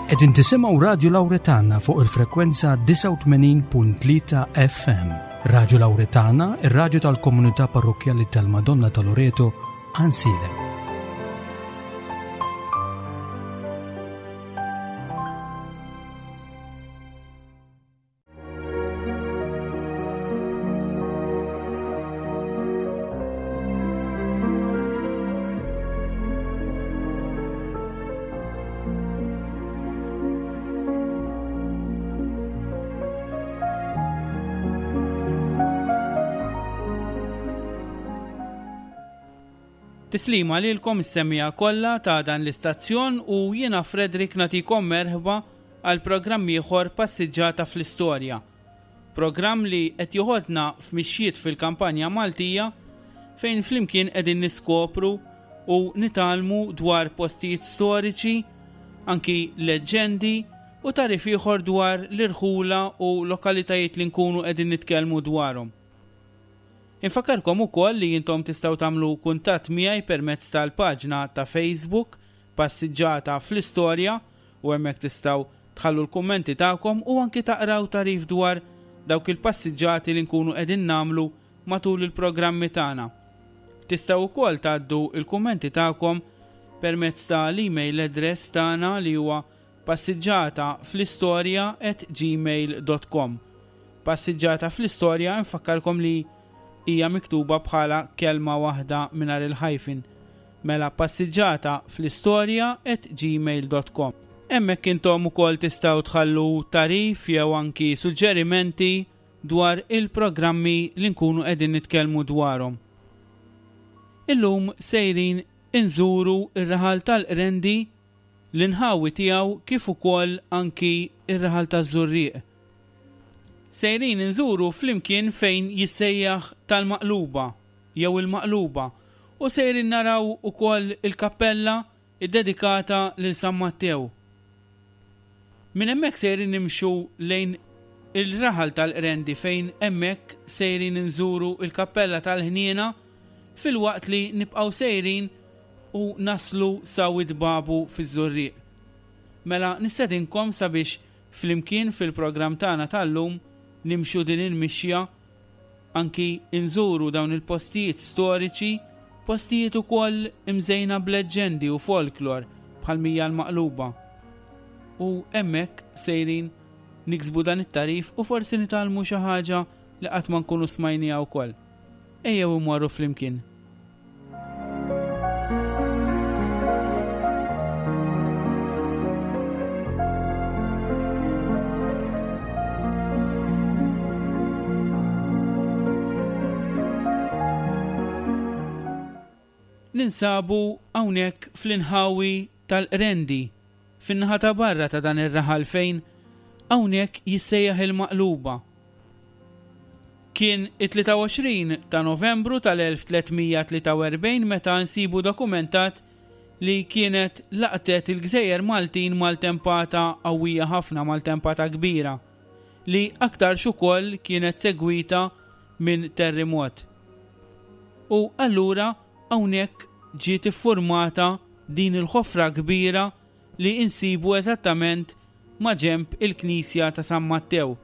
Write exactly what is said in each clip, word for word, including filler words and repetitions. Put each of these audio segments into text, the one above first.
Qegħdin tisimgħu Radju Lawretana fuq il-frekwenza disgħa u tmenin punt tlieta F M. Radju Lawretana, ir-radju tal-komunità parrokkjali tal-Madonna ta' Loreto, Għajnsielem. Tislima lilkom is-semmiegħa kollha ta' dan l-istazzjon u jiena Frederick nagħtikom merħba għal programm ieħor Passiġġata fl-Istorja. Programm li qed joħodna f'mixjiet fil-kampanja Maltija fejn flimkien qegħdin niskopru u nitgħallmu dwar postijiet storiċi, anki leġġendi u tarif ieħor dwar l-irħula u lokalitajiet li nkunu qegħdin nitkellmu dwarhom. Infakarkom ukoll li intom tistgħu tagħmlu kuntatt miegħi permezz tal-paġna ta' Facebook Passiġġata fl-Istorja u hemmhekk tistgħu tħallu l-kummenti tagħkom u anki taqraw tarif dwar dawk il-passiġġati li nkunu qegħdin nagħmlu matul il-programmi tagħna. Tistgħu wkoll tgħaddu l-kummenti tagħkom permezz tal-email address tagħna li huwa passiġġata fl-istorja at gmail dot com. Passiġġata fl-istorja nfakkarkom li hija miktuba bħala kelma waħda mingħajr il-hyphen. Mela passiġġata fl-istorja at gmail dot com. Hemmhekk intom ukoll tistgħu tħallu tarif jew anki suġġerimenti dwar il-programmi li nkunu qegħdin nitkellmu dwarhom. Illum sejrin inżuru ir-raħal tal-Qrendi, l-inħawi tiegħu kif ukoll anki ir-raħal taż-Żurrieq. Sejrin inżuru flimkien fejn jissejjaħ tal-Maqluba jew il-Maqluba u sejrin naraw ukoll il-kappella iddedikata lil San Mattew. Minn hemmhekk sejrin nimxu lejn il-raħal tal-Qrendi fejn hemmhekk sejrin inżuru il-kappella tal-Ħniena filwaqt li nibqgħu sejrin u naslu sa Wied Babu fiż-Żurrieq. Mela nistedinkom sabiex flimkien fil-programm tagħna tal-lum nimxu din il-mixja anki inżuru dawn il-postijiet storiċi, postijiet ukoll imżejna b'leġġendi u folklor bħal mija l-Maqluba. U hemmhekk sejrin niksbu dan it-tarif u forsi nitgħallmu xi ħaġa li qatt ma nkunu smajniha wkoll. Ejjew immorru flimkien. Ninsabu hawnhekk fl-inħawi tal-Qrendi, fin-naħa ta' barra ta' dan ir-raħal fejn hawnhekk jissejjaħ il-Maqluba. Kien it-tlieta u għoxrin ta' Novembru tal-elf tlietmija tlieta u erbgħin meta nsibu dokumentat li kienet laqtet il-Gżejjer Maltin maltempata qawwija ħafna, maltempata kbira, li aktarx ukoll kienet segwita minn terremot. U allura hawnhekk ġiet iffurmata din il-ħofra kbira li insibu eżattament ma' ġemp il-Knisja ta' San Mattew.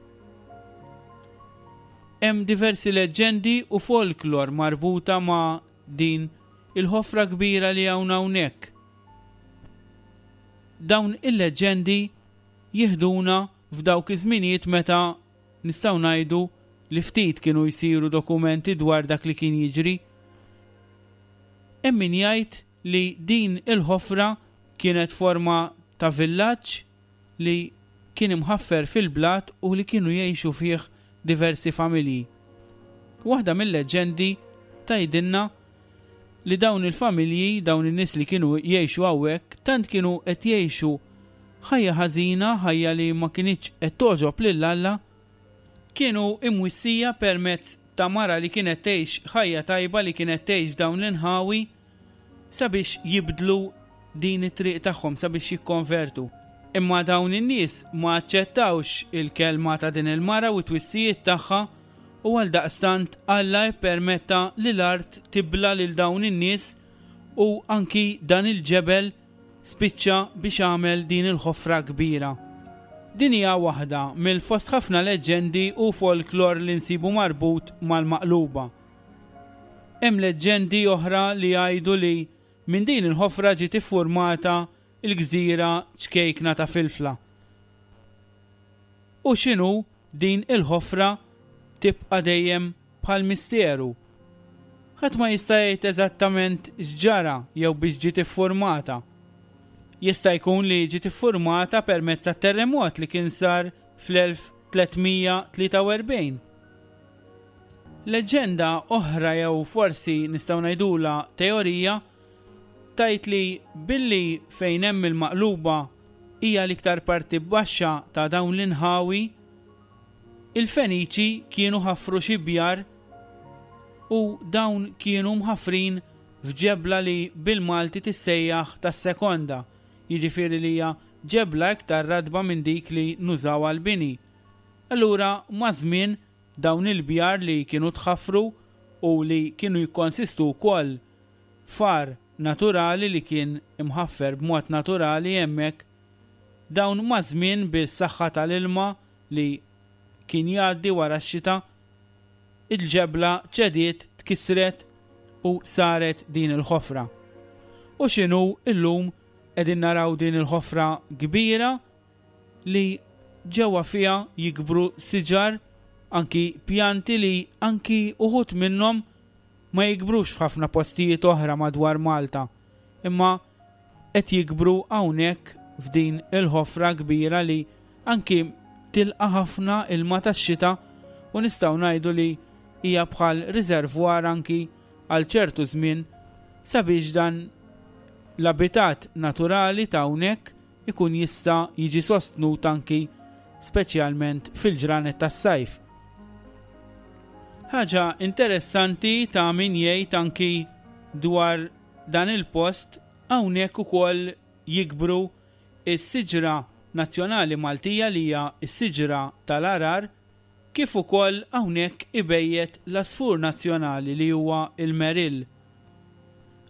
Hemm diversi leġġendi u folklor marbuta ma' din il-ħofra kbira li hawn hawnhekk. Dawn il-leġġendi jiħduna f'dawk iż-żminijiet meta nistgħu ngħidu li ftit kienu jsiru dokumenti dwar dak li kien jiġri. Hemm min jgħid li din il-ħofra kienet forma ta' villaġġ li kien imħaffer fil-blat u li kienu jgħixu fih diversi familji. Waħda mill-leġġendi tgħidilna li dawn il-familji, dawn in-nies li kienu jgħixu hawnhekk, tant kienu qed jgħixu ħajja ħażina, ħajja li ma kinitx qed togħġob lil Alla, kienu imwissija permezz ta' mara li kienet tgħix ħajja tajba, li kienet tgħix dawn l-inħawi, sabiex jibdlu din it-triq tagħhom, sabiex jikkonvertu. Imma dawn in-nies ma aċċettawx il-kelma ta' din il-mara u t-twissijiet tagħha u għal daqstant Alla ippermetta li l-art tibla lil dawn in-nies u anki dan il-ġebel spiċċa biex għamel din il-ħofra kbira. Din hija waħda mill-fost ħafna leġġendi u folklor li nsibu marbut mal-maqluba. Hemm leġġendi oħra li jgħidu li minn din il-ħofra ġiet iffurmata il-gżira ċkejkna ta' Filfla. U x'inhu din il-ħofra tibqa' dejjem bħal misteru. Ħadd ma jista' jgħid eżattament x'ġara jew biex ġiet iffurmata. Jista' jkun li ġiet iffurmata permezz ta' terremot li kien sar fl-elf tliet mija tlieta u erbgħin. Leġġenda oħra jew forsi nistgħu ngħidulha teorija tgħid li billi fejn hemm il-maqluba hija l-iktar parti baxxa ta' dawn l-inħawi, il-Feniċi kienu ħafru xi bjar u dawn kienu mħafrin f'ġebla li bil-Malti tissejjaħ tas-sekonda, jiġifieri li hija ġebla iktar radba minn dik li nużaw għall-bini. Allura maż-żmien dawn il-bjar li kienu tħaffru u li kienu jikkonsistu wkoll far naturali li kien imħaffer b'mod naturali hemmhekk, dawn maż-żmien bis-saħħa tal-ilma li kien jgħaddi wara x-xita, il-ġebla ċediet, tkissret u saret din il-ħofra. U x'inhu illum qegħdin naraw din il-ħofra kbira li ġewwa fiha jikbru siġar, anki pjanti li anki uħud minnhom ma jikbrux f'ħafna postijiet oħra madwar Malta, imma qed jikbru hawnhekk f'din il-ħofra kbira li anki tilqa' ħafna ilma tax-xita u nistgħu ngħidu li hija bħal riservwar anki għal ċertu żmien sabiex dan l-abitat naturali ta' hawnhekk ikun jista' jiġi sostnut anki speċjalment fil-ġranet tas-sajf. Ħaġa interessanti ta' min jgħid anki dwar dan il-post, hawnhekk ukoll jikbru is-siġra nazzjonali Maltija li hija s-siġra tal-Għargħar, kif ukoll hawnhekk ibejjet l-għasfur nazzjonali li huwa il-Merill.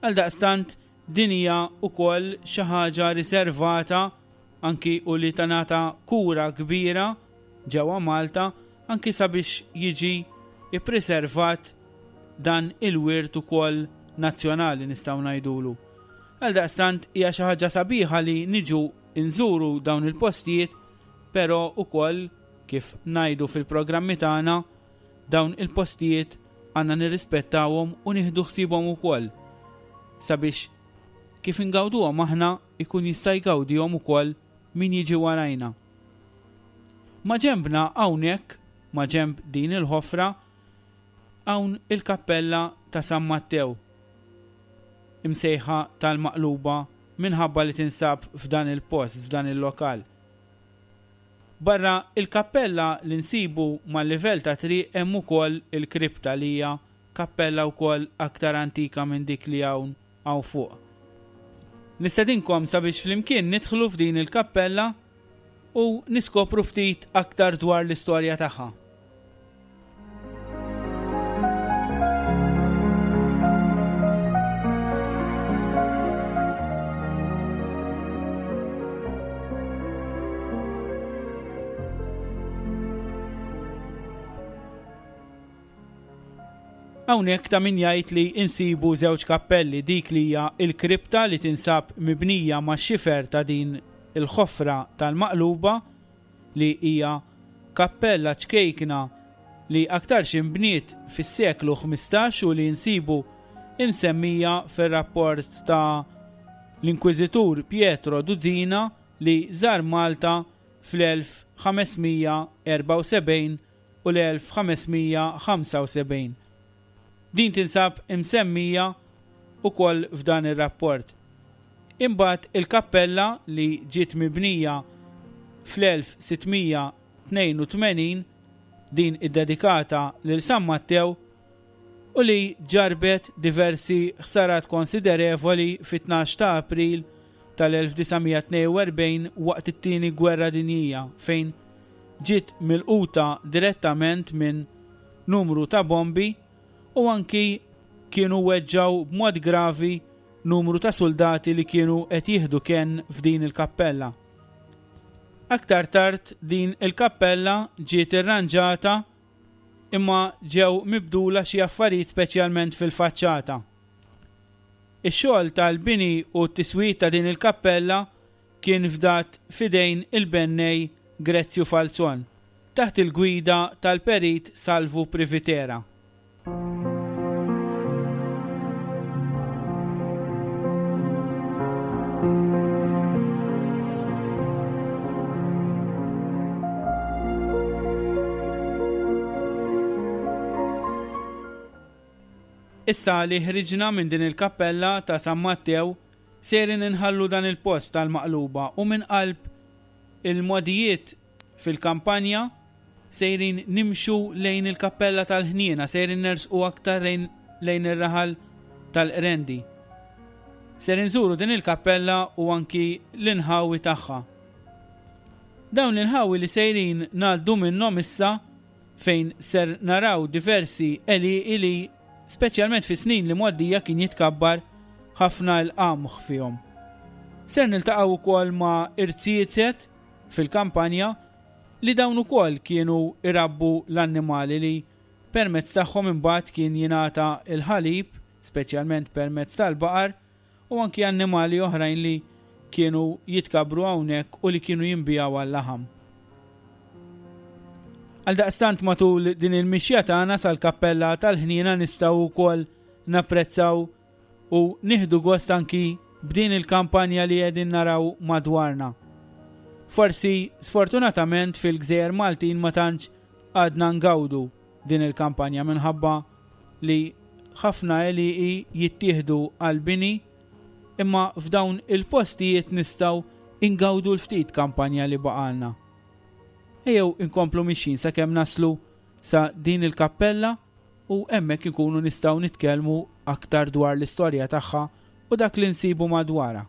Għaldaqstant din hija wkoll xi ħaġa riservata anki u li tingħata kura kbira ġewwa Malta anki sabiex jiġi ippreservat dan il-wirt ukoll nazzjonali nistgħu ngħidulu. Għaldaqstant hija xi ħaġa sabiħa li niġu nżuru dawn il-postijiet, però ukoll kif ngħidu fil-programmi tagħna dawn il-postijiet għandna nirrispettawhom u nieħdu ħsiebhom ukoll sabiex kif ingawduhom aħna ikun jista' jgawdihom ukoll min jiġi warajna. Ma ġembna hawnhekk, ma ġemb din il-ħofra, hawn il-kappella ta' San Mattew, imsejħa tal-Maqluba minħabba li tinsab f'dan il-post, f'dan il-lokal. Barra il-kappella li nsibu mal-livell ta' triq hemm ukoll il-kripta li hija kappella wkoll aktar antika minn dik li hawn hawn fuq. Nistedinkom sabiex flimkien nidħlu f'din il-kappella u niskopru ftit aktar dwar l-istorja tagħha. Hawnhekk ta' min jgħid li insibu żewġ kappelli, dik li hija l-kripta li tinsab mibnija ma' xifer ta' din il-ħofra tal-Maqluba li hija kappella ċkejkna li aktarx inbniet fis-seklu ħmistax u li nsibu imsemmija fir-rapport ta' l-Inkwiżitur Pietro Duzina li żar Malta fl-elf ħamesmija erbgħa u sebgħin u l-elf ħamesmija ħamsa u sebgħin. Din tinsab imsemmija ukoll f'dan ir-rapport. Imbagħad il-kappella li ġiet mibnija fl-elf sittmija tnejn u tmenin, din iddedikata lil San Mattew u li ġarbet diversi ħsarat konsiderevoli fit-tnax ta' April tal-elf disa' mija tnejn u erbgħin waqt it-tieni Gwerra Dinjija, fejn ġiet milquta direttament minn numru ta' bombi u anki kienu weġġaw b'mod gravi numru ta' soldati li kienu qed jieħdu kenn f'din il-kappella. Aktar tard din il-kappella ġiet irranġata imma ġew mibdula xi affarijiet speċjalment fil-faċċata. Ix-xogħol tal-bini u t-tiswit ta' din il-kappella kien fdat f'idejn il-bennej Grezzju Falzon, taħt il-gwida tal-perit Salvu Privitera. Issa li ħriġna minn din il-kappella ta' San Mattew, sejrin inħallu dan il-post tal-maqluba u minn qalb il-modijiet fil-kampanja sejrin nimxu lejn il-kappella tal-Ħniena, sejrin nersqu aktar lejn, lejn ir-raħal tal-Qrendi. Ser inżuru din il-kappella u anki l-inħawi tagħha. Dawn l-inħawi li sejrin ngħaddu minnhom issa fejn ser naraw diversi għelieqi li speċjalment fi snin li mgħoddija kien jitkabbar ħafna l-qamħ fihom. Ser niltaqgħu wkoll ma' irziezet fil-kampanja li dawn ukoll kienu irabbu l-annimali li permezz tagħhom imbagħad kien jingħata l-ħalib, speċjalment permezz tal-baqar, u anki annimali oħrajn li kienu jitkabru hawnhekk u li kienu jinbijaw għal-laħam. Għaldaqstant matul din il-mixja tagħna sal-kappella tal-Ħniena nistgħu wkoll napprezzaw u nieħdu gost anki b'din il-kampanja li qegħdin naraw madwarna. Forsi sfortunatament fil-Gżejjer Maltin ma tantx għadna ngawdu din il-kampanja minħabba li ħafna għelieqi jittieħdu għal-bini, imma f'dawn il-postijiet nistgħu ingawdu l-ftit kampanja li baqalna. Ejjew inkomplu mixjin sakemm naslu sa din il-kappella u hemmhekk inkunu nistgħu nitkellmu aktar dwar l-istorja tagħha u dak li nsibu madwarha.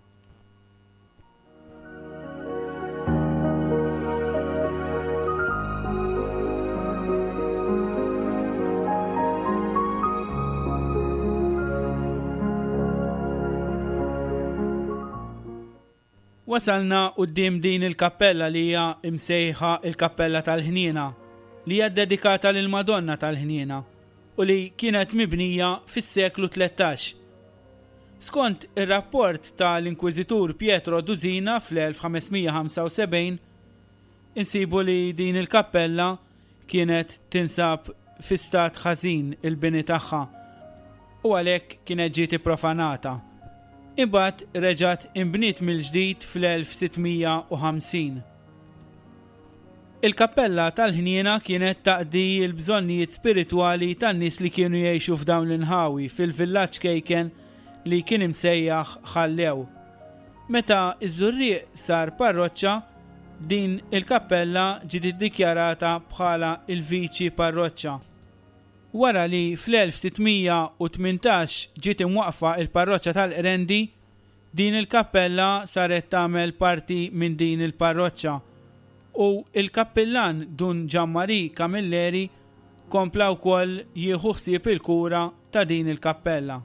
Wasalna quddiem din il-kappella li hija imsejħa il-Kappella tal-Ħniena, li hija dedikata lil Madonna tal-Ħniena u li kienet mibnija fis-seklu tlettax. Skont ir-rapport tal-Inkwiżitur Pietro Dusina fl-elf ħames mija ħamsa u sebgħin, insibu li din il-kappella kienet tinsab fi stat ħażin il-bini tagħha u għalhekk kienet ġiet ipprofanata. Imbagħad reġgħet inbniet mill-ġdid fl-elf sitt mija u ħamsin. Il-kappella tal-Ħniena kienet taqdi l-bżonnijiet spiritwali tan-nies li kienu jgħixu f'dawn l-inħawi fil-villaġġ kejken li kien imsejjaħ Ħallew. Meta ż-Żurrieq sar parroċċa, din il-kappella ġiet iddikjarata bħala il-viċi parroċċa. Wara li fl-elf sitt mija u tmintax ġiet imwaqfa il-parroċċa tal-Qrendi, din il-kappella saret tagħmel parti minn din il-parroċċa u il-kappillan Dun Gianmarie Camilleri kompla wkoll jieħu ħsieb il-kura ta' din il-kappella.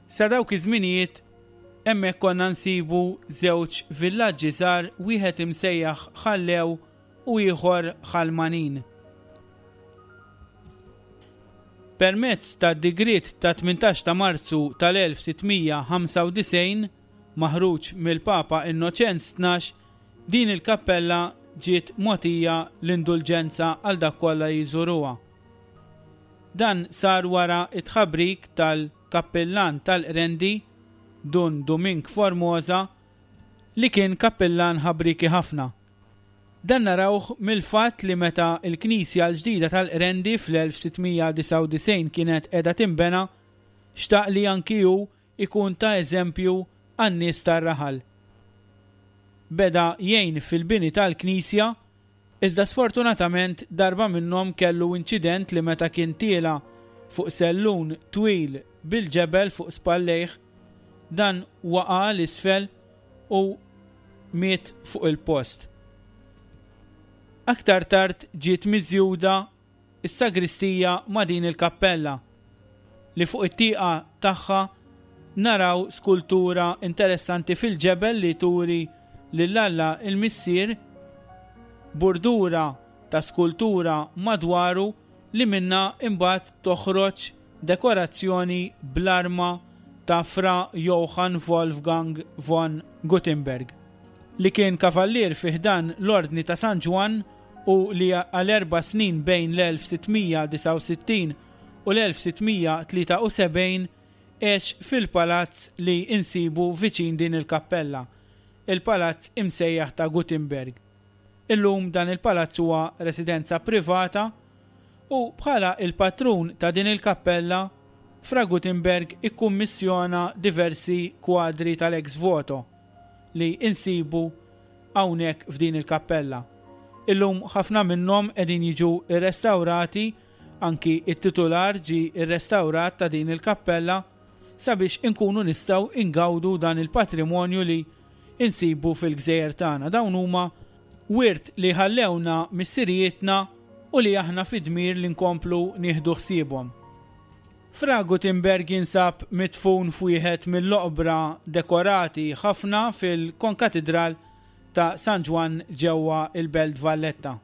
Sa dawk iż-żminijiet hemmhekk konna nsibu żewġ villaġġi żgħar, wieħed imsejjaħ Ħallew u ieħor Ħalmanin. Permezz ta' digriet ta' tmintax ta' Marzu tal-elf sitt mija ħamsa u disgħin maħruġ mill-Papa Innoċenz tnax, din il-kappella ġiet mogħtija l-indulġenza għal dak kollha jżuruha. Dan sar wara it-tħabrik tal-kappillan tal-Qrendi, Dun Dumink Formosa, li kien kappillan ħabriki ħafna. Dan narawh mill-fatt li meta l-Knisja l-ġdida tal-Qrendi fl-elf sitt mija disgħa u disgħin kienet qiegħda tinbena, xtaq li anki hu ikun ta' eżempju għan-nies tar-raħal. Beda jgħin fil-bini tal-Knisja, iżda sfortunatament darba minnhom kellu inċident li meta kien tiela fuq sellun twil bil-ġebel fuq spallejh, dan waqa' l-isfel u miet fuq il-post. Aktar tard ġiet miżjuda s-sagristija ma' din il-kappella li fuq it-tieqa tagħha naraw skultura interessanti fil-ġebel li turi lil Alla il-Missier, burdura ta' skultura madwaru li minna imbagħad toħroġ dekorazzjoni bl-arma ta' Fra Johann Wolfgang von Gutenberg, li kien kavallier fi ħdan l-Ordni ta' San Ġwann u li għal erba' snin bejn l-elf sittmija disgħa u sittin u l-elf sittmija tlieta u sebgħin għex fil-palazz li insibu viċin din il-kappella, il-palazz imsejjaħ ta' Gutenberg. Illum dan il-palazz huwa residenza privata u bħala il-patrun ta' din il-kappella, Fra Gutenberg ikkummissjona diversi kwadri tal-ex voto li insibu hawnhekk f'din il-kappella. Illum ħafna minnhom qegħdin jiġu rrestawrati, anki it-titular ġi rrestawrat ta' din il-kappella sabiex inkunu nistgħu ingawdu dan il-patrimonju li insibu fil-gżejjer tagħna. Dawn huma wirt li ħallewna missirijietna u li aħna fid-dmir li nkomplu nieħdu ħsiebhom. Fra Gutenberg jinsab midfun f'wieħed mill-oqbra dekorati ħafna fil-Konkatidral ta' San Ġwann ġewwa il-Belt Valletta.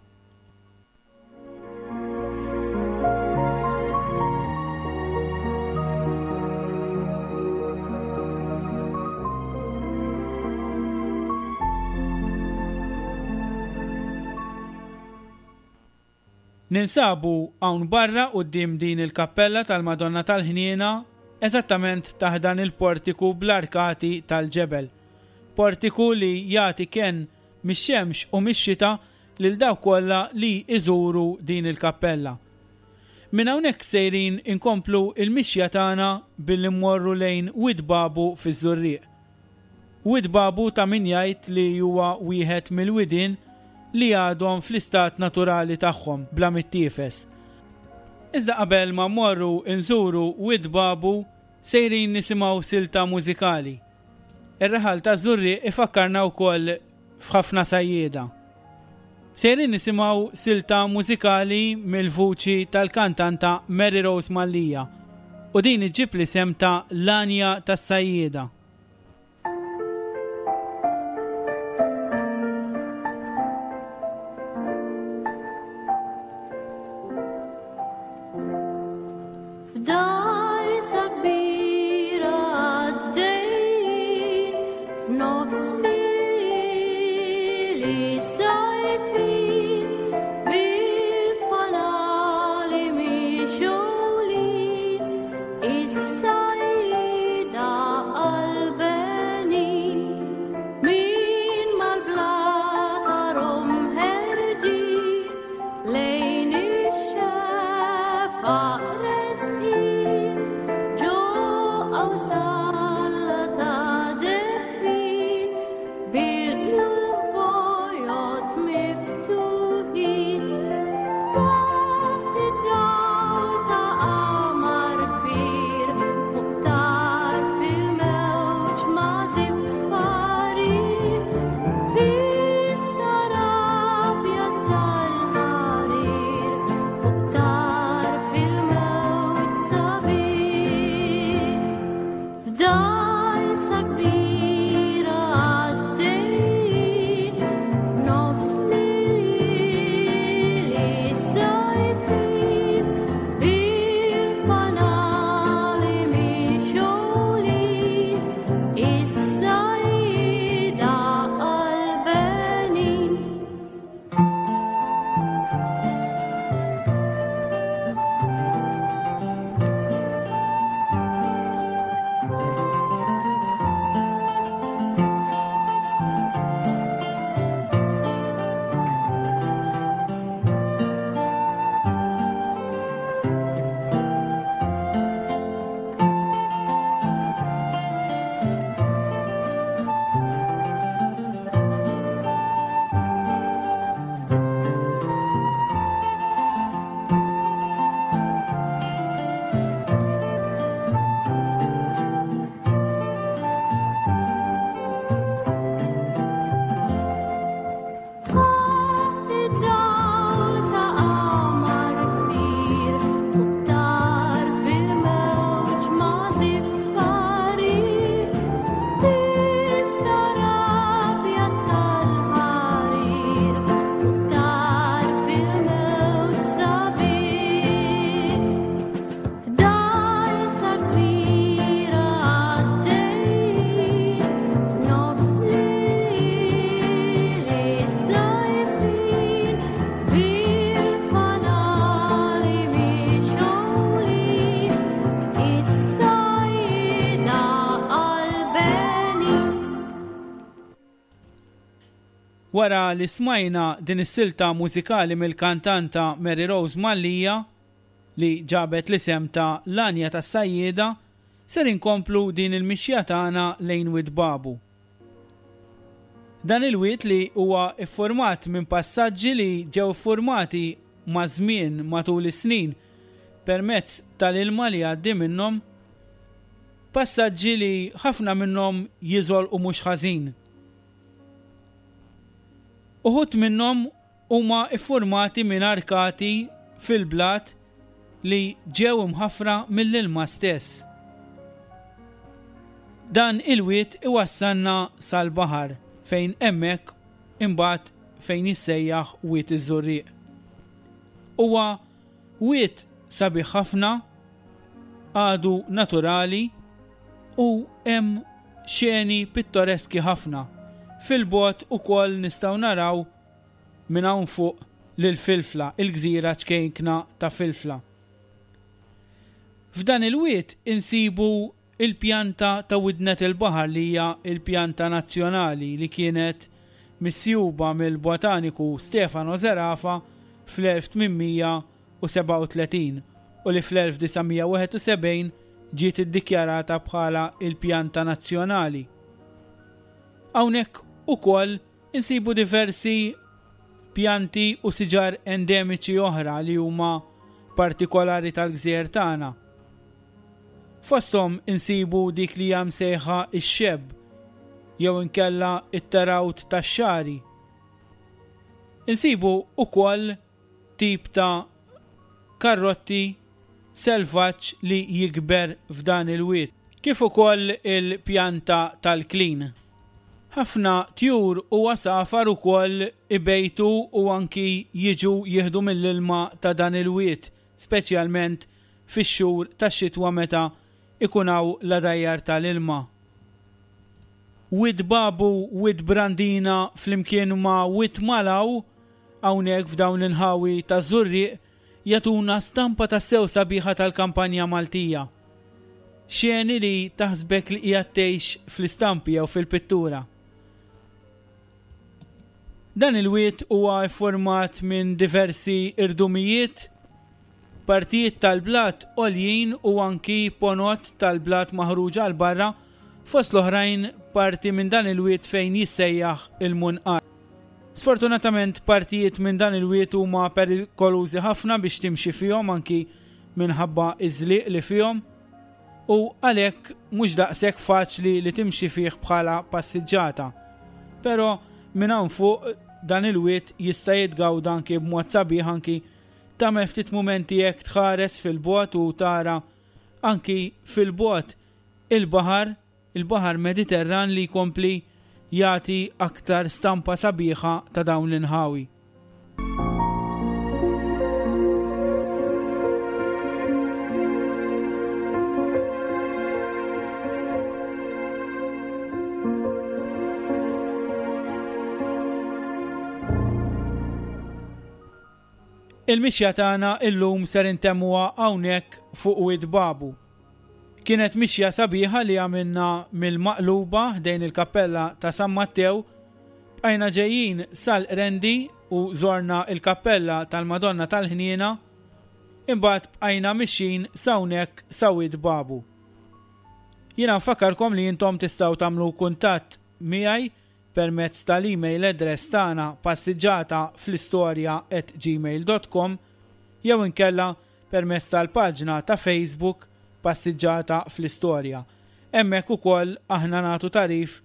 Ninsabu hawn barra quddiem din il-kappella tal-Madonna tal-Ħniena, eżattament taħt dan il-portiku bl-arkati tal-ġebel. Portiku li jagħti kenn mix-xemx u mix-xita lil dawk kollha li iżuru din il-kappella. Minn hawnhekk sejrin inkomplu il-mixja tagħna billi mmorru lejn Wied Babu fiż-Żurrieq. Wied Babu ta' min jgħid li huwa wieħed mill-widien li għadhom fl-istat naturali tagħhom bla mittiefes. Iżda qabel ma mmorru nżuru Wied Babu sejrin nisimgħu silta mużikali. Ir-raħal ta' Żurrieq ifakkarna wkoll f'ħafna sajjieda. Sejrin nisimgħu silta mużikali mill-vuċi tal-kantanta Mary Rose Mallia u din iġġib l-isem ta' L-Għanja tas-Sajjieda. Bil-bojot miftuħ. Wara li smajna din is-silta mużikali mill-kantanta Mary Rose Mallia li ġabet l-isem ta' L-Għanja tas-Sajjieda, ser inkomplu din il-mixja tagħna lejn Wied Babu. Dan il-wied li huwa iffurmat minn passaġġi li ġew iffurmati ma' żmien matul is-snin permezz tal-ilma li għaddi minnhom, passaġġi li ħafna minnhom jiżolqu mhux ħażin. Uħud minnhom huma iffurmati minn arkati fil-blat li ġew imħaffra mill-ilma stess. Dan il-wied iwassalna sal-baħar fejn hemmhekk imbagħad fejn jissejjaħ Wied iż-Żurrieq. Huwa wied sabiħ ħafna, għadu naturali u hemm xeni pittoreski ħafna. Fil-bogħod ukoll nistgħu naraw minn hawn fuq lil Filfla, il-gżira ċkejkna ta' Filfla. F'dan il-wied insibu il-pjanta ta' Widnet il-Baħar li hija il-pjanta nazzjonali li kienet misjuba mill-botaniku Stefano Zerafa fl-elf tmien mija u sebgħa u tletin u li fl-elf disa' mija wieħed u sebgħin ġiet iddikjarata bħala il-pjanta nazzjonali. Hawnhekk ukoll insibu diversi pjanti u siġar endemiċi oħra li huma partikolari tal-gżejjer tagħna. Fosthom insibu dik li hija msejħa ix-xebb jew inkella it-tarawt tax-xari. Insibu ukoll tip ta' karrotti selvaġġ li jikber f'dan il-wied, kif ukoll il-pjanta tal-klin. Ħafna tjur u għasafar ukoll ibejtu u anki jiġu jieħdu mill-ilma ta' dan il-wied, speċjalment fix-xhur tax-xitwa meta ikun hawn l-għadajjar tal-ilma. Wied Babu, Wied Brandina flimkien ma' Wied Malaw hawnhekk f'dawn l-inħawi ta' Żurrieq jagħtuna stampa ta' sew sabiħa tal-kampanja Maltija. Xeni li taħsbek li qiegħed tgħix fl-istampi jew fil-pittura. Dan il-wied huwa ffurmat minn diversi irdumijiet, partijiet tal-blat għoljin u anki ponot tal-blat maħruġa għal barra, fost l-oħrajn parti minn dan il-wied fejn jissejjaħ il-Munqar. Sfortunatament partijiet minn dan il-wied huma perikolużi ħafna biex timxi fihom anki minħabba iż-żliq li fihom u għalhekk mhux daqshekk faċli li timxi fih bħala passiġġata. Però minn hawn fuq dan il-wied jista' jitgawda anki b'mod sabiħ, anki tagħmel ftit mumenti jekk tħares fil-bogħod u tara anki fil-bogħod il-baħar, il-baħar Mediterran li jkompli jagħti aktar stampa sabiħa ta' dawn l-inħawi. Il-mixja tagħna illum ser intemmuha hawnhekk fuq Wied Babu. Kienet mixja sabiħa li għamilna mill-Maqluba ħdejn il-kappella ta' San Mattew, bqajna ġejjin sal-Qrendi u żorna il-kappella tal-Madonna tal-Ħniena, imbagħad bqajna mixjin s'hawnhekk sa Wied Babu. Jiena nfakkarkom li intom tistgħu tagħmlu kuntatt miegħi permezz tal-email address tagħna passiġġata fl-istorja at gmail dot com jew inkella permezz tal-paġna ta' Facebook Passiġġata fl-Istorja. Hemmhekk ukoll aħna nagħtu tarif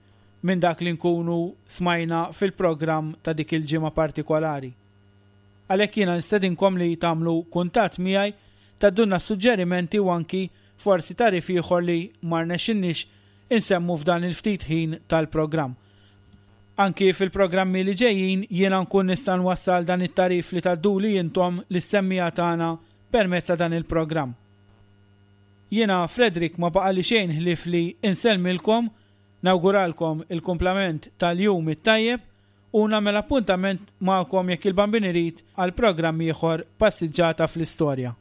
minn dak li nkunu smajna fil-programm ta' dik il-ġimgħa partikolari. Għalhekk jiena nistedinkom li tagħmlu kuntatt miegħi, tgħaddulna suġġerimenti u anki forsi tarif ieħor li ma rnexxinniex insemmu f'dan il-ftit ħin tal-programm. Anki fil-programmi li ġejjin jiena nkun nista' nwassal dan it-tarif li tgħadduli intom lis-semmija tagħna permezz ta' dan il-programm. Jiena Frederick ma baqali xejn ħlief li insellmilkom, nawguralkom il-kumplament tal-jum it-tajjeb u nagħmel appuntament magħkom jekk il-Bambin irid għal programm ieħor Passiġġata fl-Istorja.